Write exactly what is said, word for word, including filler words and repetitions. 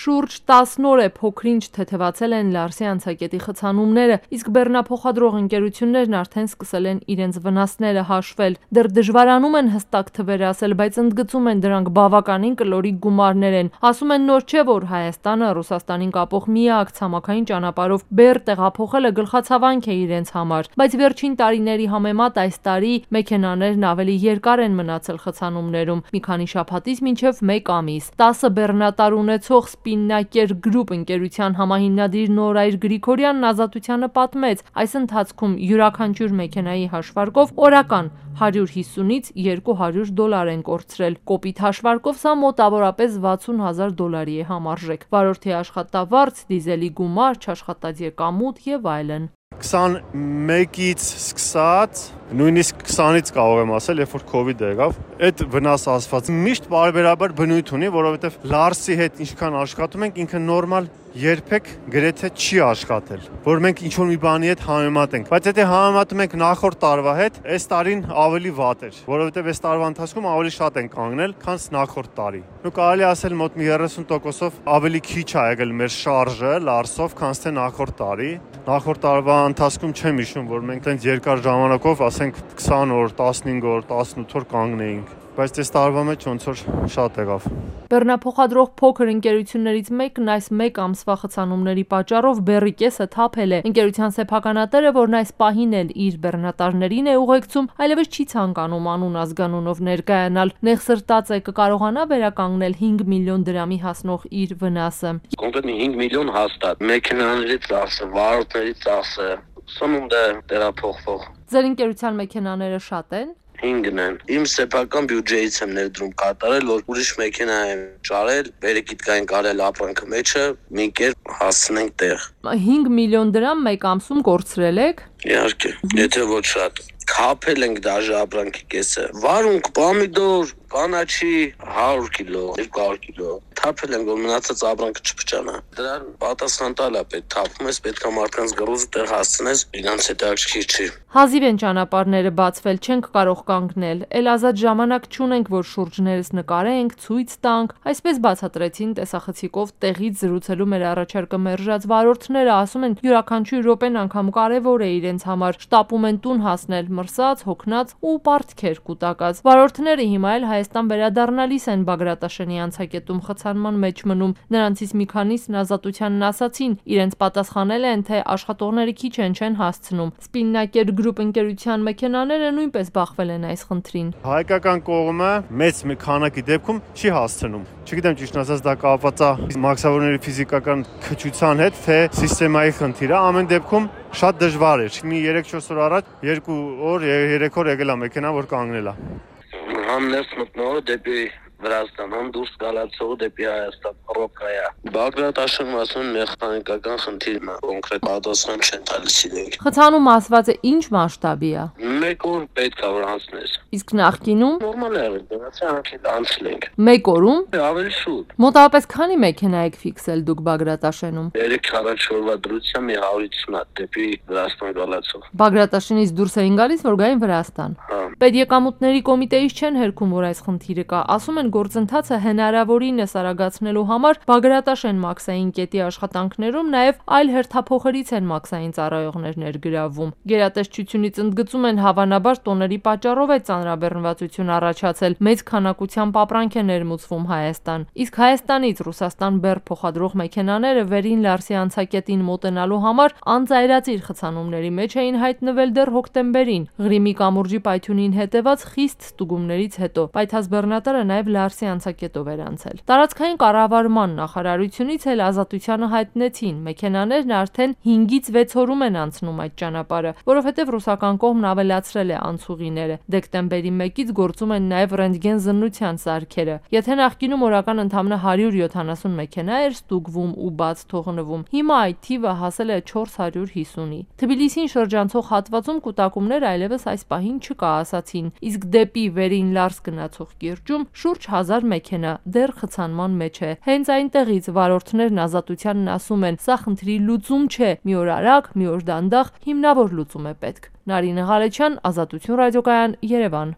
Շուրջ տասն օր է փոքրինչ թեթևացել են Լարսի անցակետի խցանումները, իսկ բեռնափոխադրող ընկերություններն արդեն սկսել են իրենց վնասները հաշվել։ Դեռ դժվարանում են հստակ թվեր ասել, բայց ընդգծում են դրանք բավականին կլորիկ գումարներ են։ Ասում են նոր չէ, որ Հայաստանը Ռուսաստանին կապող միակ ցամաքային ճանապարհով բեռ տեղափոխելը գլխացավանք է իրենց համար, բայց վերջին տարիների համեմատ այս տարի մեքենաներն ավելի երկար են մնացել խցանումներում՝ մի քանի շաբաթից մինչև մեկ ամիս։ տասը բեռնատար ունեցող Spinnaker Group ընկերության համահիմնադիր Նորայր Գրիգորյանն Ազատությանը պատմեց, այս ընթացքում յուրաքանչյուր մեքենայի հաշվարկով օրական հարյուր հիսունից երկու հարյուր դոլար են կորցրել։ Կոպիտ հաշվարկով սա մոտավորապես վաթսուն հազար դոլարի է համարժեք։ Վարորդի աշխատավարձ, դիզելի գումար, չաշխատած եկամուտ եւ այլն։ քսանմեկից սկսած նույնիսկ քսանից կարող եմ ասել, երբ որ կովիդը եղավ, այդ վնաս ասված միշտ բարբերաբար բնույթ ունի, որովհետև Լարսի հետ ինչքան աշխատում ենք, ինքը նորմալ երբեք գրեթե չի աշխատել, որ մենք ինչ որ մի բանի հետ համեմատենք, բայց եթե համեմատում ենք նախորդ տարվա հետ, այս տարին ավելի վատ էր, որովհետև այս տարվա ընթացքում ավելի շատ են կանգնել, քան նախորդ տարի։ Ու կարելի ասել մոտ մի երեսուն տոկոսով ավելի քիչ ա եղել մեր շարժը Լարսով, քան թե նախորդ տարի։ Նախորդ տարվա ընթացքում չեմ հիշում, որ մենք տենց երկար ժամանակով, ասենք քսան օր, տասնհինգ օր, տասնութ օր կանգնեինք, բայց այս տարվա մեջ ոնց որ շատ եղավ։ Բեռնափոխադրող փոքր ընկերություններից մեկն այս մեկ ամսվա խցանումների պատճառով բեռի կեսը թափել է։ Ընկերության սեփականատերը, որն այս պահին էլ իր բեռնատարներին է ուղեկցում, այլևս չի ցանկանում անուն ազգանունով ներկայանալ։ Նեղսրտած է կկարողանա վերականգնել հինգ միլիոն դրամի հասնող իր վնասը։ Կոնկրետ հինգ միլիոն հաստատ, մեքենաների ծախսը, վարորդների ծախսը, սնունդը տեղափոխվող։ Ձեր ընկերության մեքենաները շատ են։ հինգն են։ Իմ սեփական բյուջեից եմ ներդրում կատարել, որ ուրիշ մեքենա եմ ճարել, վերեկիցկային կարել ապրանքը մեջը, մի կերպ հասցնենք տեղ։ հինգ միլիոն դրամ մեկ ամսում կորցրել եք։ Իհարկե, եթե ոչ շատ։ Քափել ենք դաժե ապրանքի կեսը։ Վարունգ, պոմիդոր, կանաչի հարյուր կիլո, երկու հարյուր կիլո։ Թափել ենք, որ մնացած ապրանքը չփչանա։ Դրան պատասխան տալա պետք, թափում ես, պետք է մարդկանց գրոզը տեղ հասցնես, իրանց հետաքրքիր չի։ Հազիվ են ճանապարհները բացվել, չենք կարող կանգնել, էլ ազատ ժամանակ չունենք, որ շուրջներս նկարենք, ցույց տանք։ Այսպես բացատրեցին տեսախցիկով տեղից զրուցելու մեր առաջարկը մերժած վարորդները, ասում են յուրաքանչյուր րոպեն անգամ կարևոր է իրենց համար, շտապում են տուն հասնել մրսած, հոգնած ու պարտքեր կուտակած։ Վարորդները հիմա էլ Հայաստան վերադառնալիս են Բագրատաշենի անցակետում խցանման մեջ մնում։ Նրանցից մի քանիսն Ազատությանն ասացին, իրենց պատասխանել են, թե աշխատողները քիչ են չեն հասցնում։ Spinnaker Group ընկերության մեքենաները նույնպես բախվել են այս խնդրին։ Հայկական կողմը մեծ մի քանակի դեպքում չի հասցնում։ Չգիտեմ ճիշտ ասած դա կապված է մաքսավորների ֆիզիկական քչության հետ, թե սիստեմայի խնդիր է, ամեն դեպքում շատ դժվար է։ Մի երեք-չորս օր առաջ երկու օր, երեք օր եկել է մեքենա, որ կանգնել է։ Համ ներս մտնողը դեպի Վրաստան, համ դուրս գալացողը դեպի Հայաստան, ռոկայա։ Բագրատաշենը ասում մեխանիկական խնդիրն է, կոնկրետ պատասխան չեն տալիս իրենք։ Խցանում ասված է ինչ մասշտաբի է։ Մեկ օր պետք է որ անցնես։ Իսկ նախկինում նորմալ է եղել, դրանց անցել անցել ենք։ Մեկ օրում Ավելի շուտ։ Մոտավորապես քանի մեքենա եք ֆիքսել դուք Բագրատաշենում։ երեք-չորս օրվա դրությամբ մի հարյուր ութսուն հատ դեպի Վրաստան գալացող։ Բագրատաշենից դուրս էին գալիս, որ գային Վրաստան։ Հա։ Պետեկամուտների կոմիտեից չեն հերքում, որ այս խնդիրը կա, ասում են գործընթացը հնարավորինս արագացնելու համար Բագրատաշեն մաքսային կետի աշխատանքներում նաև այլ հերթափոխերից են մաքսային ծառայողներ ներգրավվում։ Գերատեսչությունից ընդգծում են հավանաբար տոների պատճառով է ծանրաբեռնվածություն առաջացել, մեծ քանակությամբ ապրանք է ներմուծվում Հայաստան։ Իսկ Հայաստանից Ռուսաստան բեռ փոխադրող մեքենաները վերին Լարսի անցակետին մոտենալու համար անձայրածիր խցանումների մեջ էին հայտնվել դեռ հոկտեմբերին։ Ղրիմի կամուրջի պայթյունին հետևած խիստ ստուգումներից հետո պայթած բեռնատարը նաև Լարսի անցակետով էր անցել։ Տարածքային կառավարման նախարարությունից էլ Ազատությանը հայտնեցին, մեքենաներն արդեն հինգից վեց օրում են անցնում այդ ճանապարհը, որովհետև ռուսական կողմն ավելացրել է անցուղիները։ Դեկտեմբերի մեկից գործում են նաև ռենտգեն զննության սարքերը։ Եթե նախկինում օրական ընդամենը հարյուր յոթանասուն մեքենա էր ստուգվում ու բաց թողնվում, հիմա այդ թիվը հասել է չորս հարյուր հիսունի։ Թբիլիսին շրջանցող հատվածում կուտակումներ այլևս այս պահին չկա, ասացին, իսկ դեպի վերին Լարս գնացող կիրճում շուրջ հազար մեքենա դեռ խցանման մեջ է։ Հենց այնտեղից վարորդներն Ազատությանն ասում են, սա խնդրի լուծում չէ, մի օր արագ, մի օր դանդաղ, հիմնավոր լուծում է պետք։ Նարինե Ղալեչյան, Ազատություն ռադիոկայան, Երևան։